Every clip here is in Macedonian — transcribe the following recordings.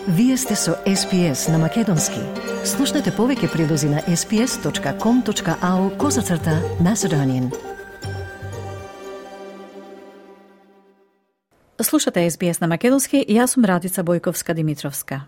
Вие сте со SPS на Македонски. Слушнете повеќе прилози на sps.com.au/Macedonian. Слушате SBS на Македонски и јас сум Радица Бојковска-Димитровска.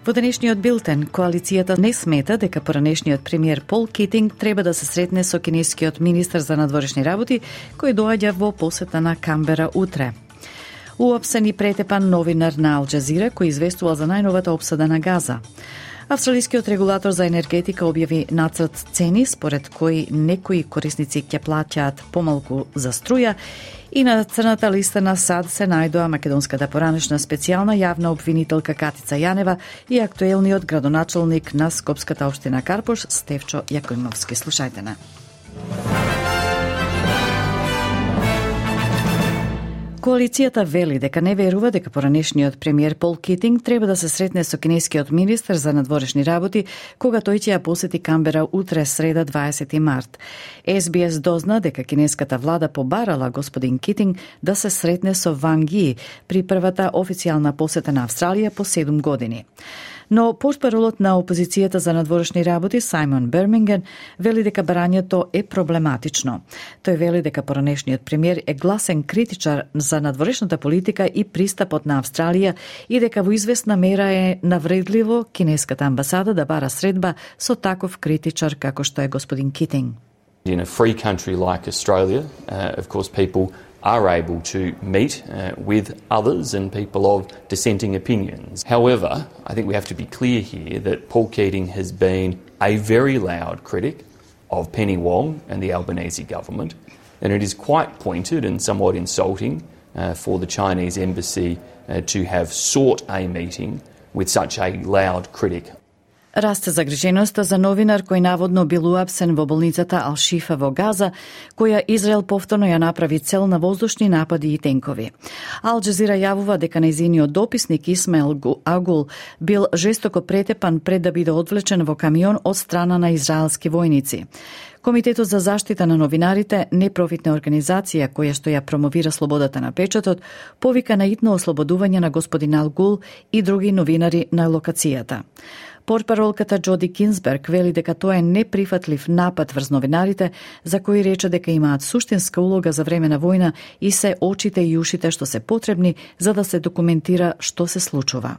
Во денешниот билтен, коалицијата не смета дека поранешниот премиер Пол Китинг треба да се сретне со кинескиот министер за надворешни работи, кој доаѓа во посета на Камбера утре. Уапсен и претепан новинар на Ал Джазира, кој известува за најновата обсада на Газа. Австралискиот регулатор за енергетика објави нацрт цени, според кој некои корисници ќе плаќаат помалку за струја, и на црната листа на САД се најдоа македонската поранешна специјална јавна обвинителка Катица Јанева и актуелниот градоначалник на Скопската општина Карпош Стефчо Јакимовски. Слушајте на. Коалицијата вели дека не верува дека поранешниот премиер Пол Китинг треба да се сретне со кинескиот министер за надворешни работи кога тој ќе ја посети Камбера утре среда 20 март. SBS дозна дека кинеската влада побарала господин Китинг да се сретне со Ван Ги при првата официјална посета на Австралија по 7 години. Но портпаролот на опозицијата за надворешни работи Сајмон Берминген вели дека барањето е проблематично. Тој вели дека поранешниот премиер е гласен критичар за надворешната политика и пристапот на Австралија и дека во известна мера е навредливо кинеската амбасада да бара средба со таков критичар како што е господин Китинг. In a free country like Australia, of course people are able to meet with others and people of dissenting opinions. However, I think we have to be clear here that Paul Keating has been a very loud critic of Penny Wong and the Albanese government, and it is quite pointed and somewhat insulting for the Chinese embassy to have sought a meeting with such a loud critic. Расте загриженоста за новинар кој наводно бил уапсен во болницата Ал-Шифа во Газа, која Израел повторно ја направи цел на воздушни напади и тенкови. Ал Джазира јавува дека нејзиниот дописник Исмаел Агул бил жестоко претепан пред да биде одвлечен во камион од страна на израелски војници. Комитетот за заштита на новинарите, непрофитна организација која што ја промовира слободата на печатот, повика на итно ослободување на господин Алгул и други новинари на локацијата. Портпаролката Джоди Кинсберг вели дека тоа е неприфатлив напад врз новинарите, за кои рече дека имаат суштинска улога за време на војна и се очите и ушите што се потребни за да се документира што се случува.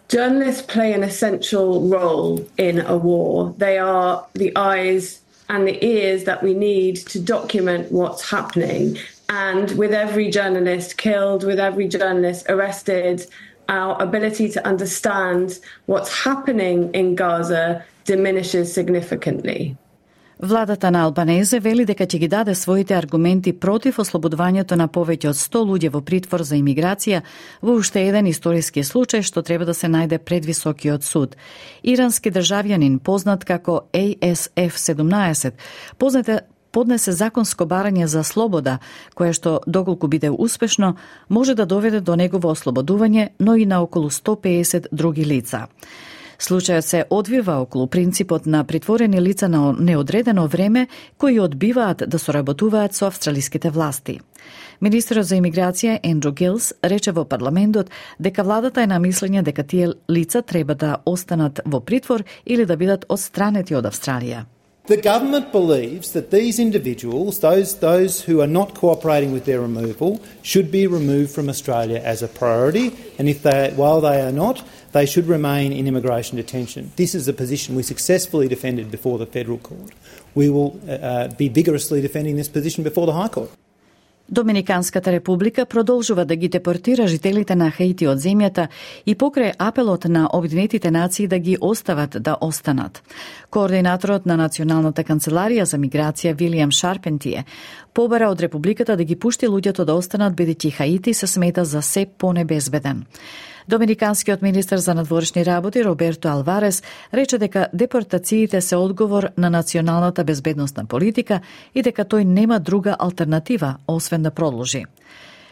Journalists play an essential role in a war. They are the eyes and the ears that we need to document what's happening. And with every journalist killed, with every journalist arrested, our ability to understand what's happening in Gaza diminishes significantly. Владата на Албанезе вели дека ќе ги даде своите аргументи против ослободувањето на повеќе од 100 луѓе во притвор за имиграција во уште еден историски случај што треба да се најде пред високиот суд. Ирански државјанин познат како ASF-17 поднесе законско барање за слобода, кое што доколку биде успешно, може да доведе до негово ослободување, но и на околу 150 други лица. Случајот се одвива околу принципот на притворени лица на неодредено време кои одбиваат да соработуваат со австралиските власти. Министерот за имиграција Ендрю Гилс рече во парламентот дека владата е на мислење дека тие лица треба да останат во притвор или да бидат отстранети од Австралија. The government believes that these individuals, those who are not cooperating with their removal, should be removed from Australia as a priority, and while they are not, they should remain in immigration detention. This is a position we successfully defended before the Federal Court. We will be vigorously defending this position before the High Court. Доминиканската република продолжува да ги депортира жителите на Хаити од земјата и покрај апелот на Обединетите нации да ги остават да останат. Координаторот на Националната канцеларија за миграција Вилијам Шарпентие побара од републиката да ги пушти луѓето да останат бидејќи Хаити се смета за се понебезбеден. Доминиканскиот министер за надворешни работи Роберто Алварес рече дека депортациите се одговор на националната безбедносна политика и дека тој нема друга алтернатива освен да продолжи.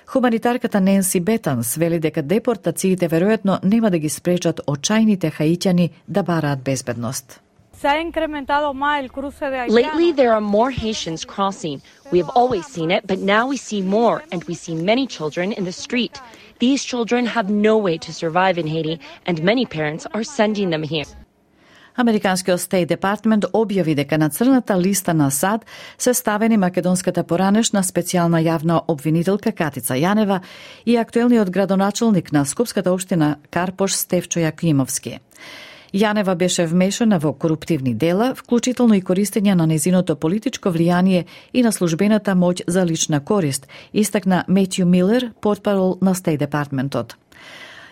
Хуманитарката Ненси Бетанс вели дека депортациите веројатно нема да ги спречат очајните хаитјани да бараат безбедност. Lately, there are more Haitians crossing. We have always seen it, but now we see more, and we see many children in the street. These children have no way to survive in Haiti, and many parents are sending them here. Американскиот State Department објави дека на црната листа на САД се ставени македонската поранешна специјална јавна обвинителка Катица Јанева и актуелниот градоначелник на Скопската општина Карпош Стефчо Јакимовски. Јанева беше вмешана во коруптивни дела, вклучително и користење на незиното политичко влијание и на службената моќ за лична корист, истакна Метју Милер, портпарол на State Departmentот.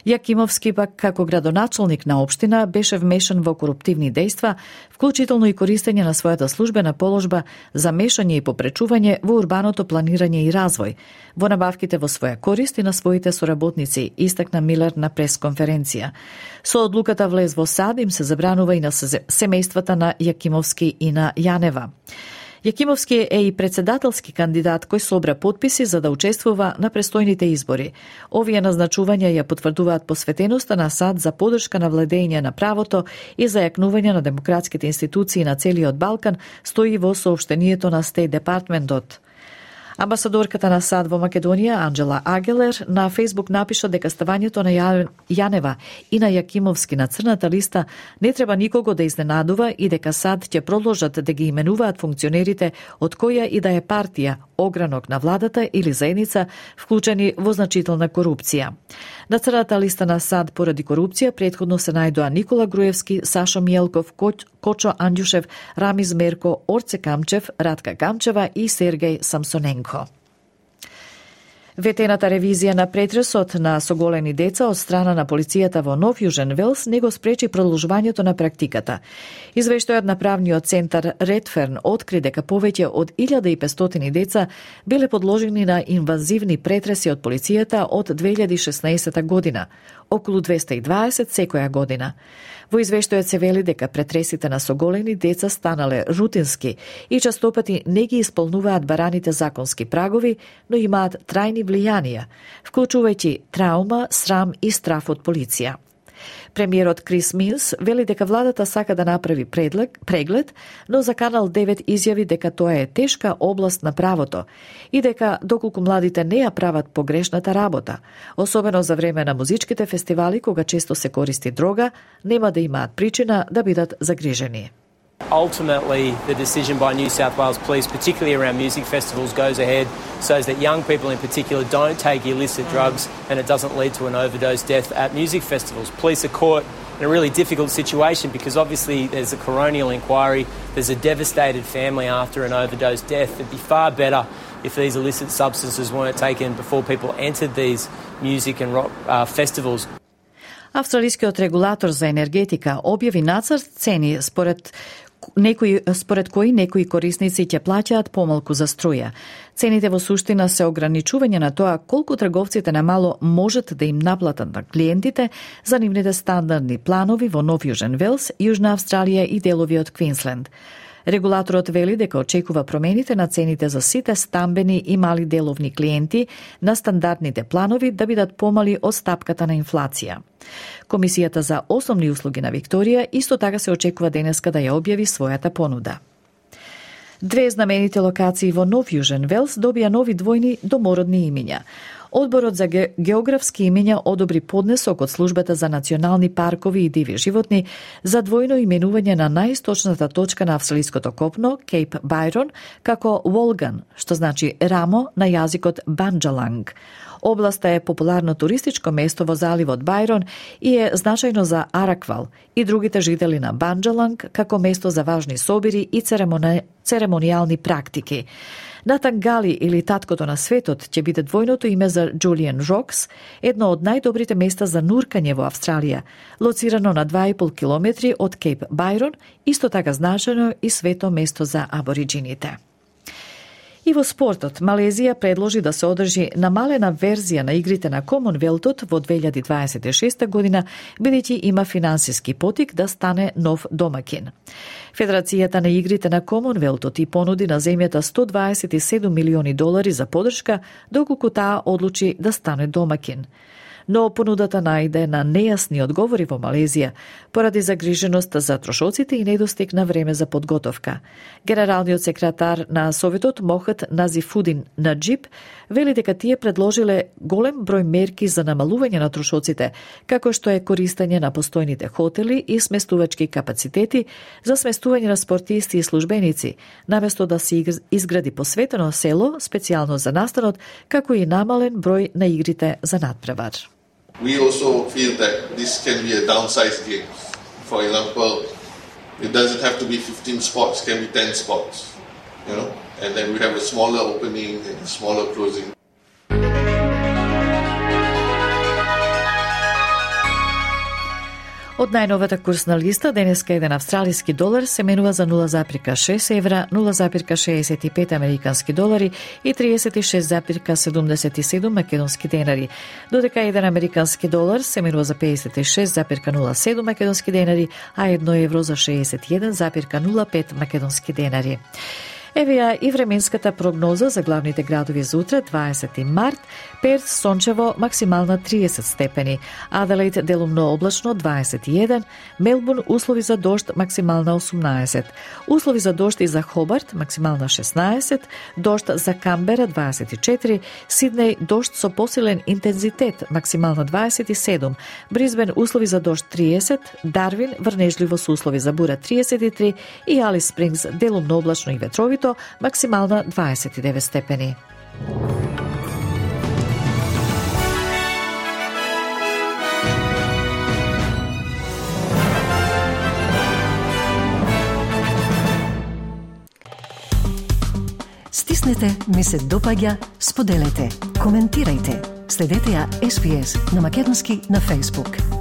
Јакимовски пак како градоначелник на општина беше вмешан во коруптивни дејства, вклучително и користење на својата службена положба за мешање и попречување во урбаното планирање и развој, во набавките во своја корист и на своите соработници, истакна Милер на пресконференција. Со одлуката влез во САД им се забранува и на семејствата на Јакимовски и на Јанева. Јакимовски е и председателски кандидат кој собра потписи за да учествува на престојните избори. Овие назначувања ја потврдуваат посветеноста на САД за поддршка на владење на правото и зајакнување на демократските институции на целиот Балкан, стои во соопштението на State Departmentот. Амбасадорката на САД во Македонија, Анджела Агелер, на Фейсбук напиша дека ставањето на Јанева и на Јакимовски на црната листа не треба никого да изненадува и дека САД ќе продолжат да ги именуваат функционерите од која и да е партија, огранок на владата или заедница, вклучени во значителна корупција. На црната листа на САД поради корупција претходно се најдоа Никола Груевски, Сашо Мијелков, Кочо Андјушев, Рамиз Мерко, Орце Камчев, Радка Камчева и Сергеј Самсоненко. Ветената ревизија на претресот на соголени деца од страна на полицијата во Нов Јужен Велс не го спречи продолжувањето на практиката. Извештајот на правниот центар Редферн откри дека повеќе од 1500 деца биле подложени на инвазивни претреси од полицијата од 2016 година, околу 220 секоја година. Во извештајот се вели дека претресите на соголени деца станале рутински и честопати не ги исполнуваат бараните законски прагови, но имаат трајни влијанија, вклучувајќи траума, срам и страф од полиција. Премиерот Крис Минс вели дека владата сака да направи преглед, но за Канал 9 изјави дека тоа е тешка област на правото и дека доколку младите не ја прават погрешната работа, особено за време на музичките фестивали кога често се користи дрога, нема да имаат причина да бидат загрижени. Ultimately, the decision by New South Wales Police, particularly around music festivals, goes ahead so that young people in particular don't take illicit drugs and it doesn't lead to an overdose death at music festivals. Police are caught in a really difficult situation because obviously there's a coronial inquiry, there's a devastated family after an overdose death. It'd be far better if these illicit substances weren't taken before people entered these music and rock festivals. Австралискиот регулатор за енергетика објави нацрт цени според кои некои корисници ќе плаќаат помалку за струја. Цените во суштина се ограничување на тоа колку трговците на мало можат да им наплатат на клиентите за нивните стандардни планови во Нов Јужен Велс, Јужна Австралија и делови од Квинсленд. Регулаторот вели дека очекува промените на цените за сите стамбени и мали деловни клиенти на стандардните планови да бидат помали од стапката на инфлација. Комисијата за основни услуги на Викторија исто така се очекува денеска да ја објави својата понуда. Две знаменити локации во Нов Јужен Велс добија нови двојни домородни имиња. Одборот за географски имиња одобри поднесок од Службата за национални паркови и диви животни за двојно именување на најисточната точка на австралиското копно, Кейп Байрон, како Волган, што значи рамо на јазикот Банџаланг. Областа е популарно туристичко место во заливот Байрон и е значајно за Араквал и другите жители на Банџаланг како место за важни собири и церемонијални практики. Натан Гали или таткото на светот ќе биде двојното име за Джулиан Рокс, едно од најдобрите места за нуркање во Австралија, лоцирано на 2,5 километри од Кейп Байрон, исто така значено и свето место за абориджините. И во спортот, Малезија предложи да се одржи намалена верзија на игрите на Комонвелтот во 2026 година, бидејќи има финансиски потик да стане нов домакин. Федерацијата на игрите на Комонвелтот и понуди на земјата $127 милиони за поддршка, доколку таа одлучи да стане домакин. но понудата најде на нејасни одговори во Малезија, поради загриженост за трошоците и недостиг на време за подготовка. Генералниот секретар на Советот Мохат Назифудин Наджиб вели дека тие предложиле голем број мерки за намалување на трошоците, како што е користење на постојните хотели и сместувачки капацитети за сместување на спортисти и службеници, наместо да се изгради посветено село специјално за настанот, како и намален број на игрите за надпревар. We also feel that this can be a downsized game. For example, it doesn't have to be 15 spots, it can be 10 spots, you know, and then we have a smaller opening and a smaller closing. Од најновата курсна листа, денеска еден австралиски долар се менува за 0,6 евра, 0,65 американски долари и 36,77 македонски денари, додека еден американски долар се менува за 56,07 македонски денари, а 1 евро за 61,05 македонски денари. Еве ја и временската прогноза за главните градови за утре, 20 март. Перт сончево, максимална 30 степени. Аделаид делумно облачно, 21. Мелбурн услови за дожд, максимална 18. Услови за дожд и за Хобарт, максимална 16. Дожд за Камбера, 24. Сиднеј, дожд со посилен интензитет, максимална 27. Бризбен, услови за дожд 30. Дарвин, врнежливо со услови за бура 33. И Алис Спрингс, делумно облачно и ветровито, максимална 29 степени. Стиснете, ми се допаѓа, споделете, коментирајте. Следете ја SPS на Македонски на Facebook.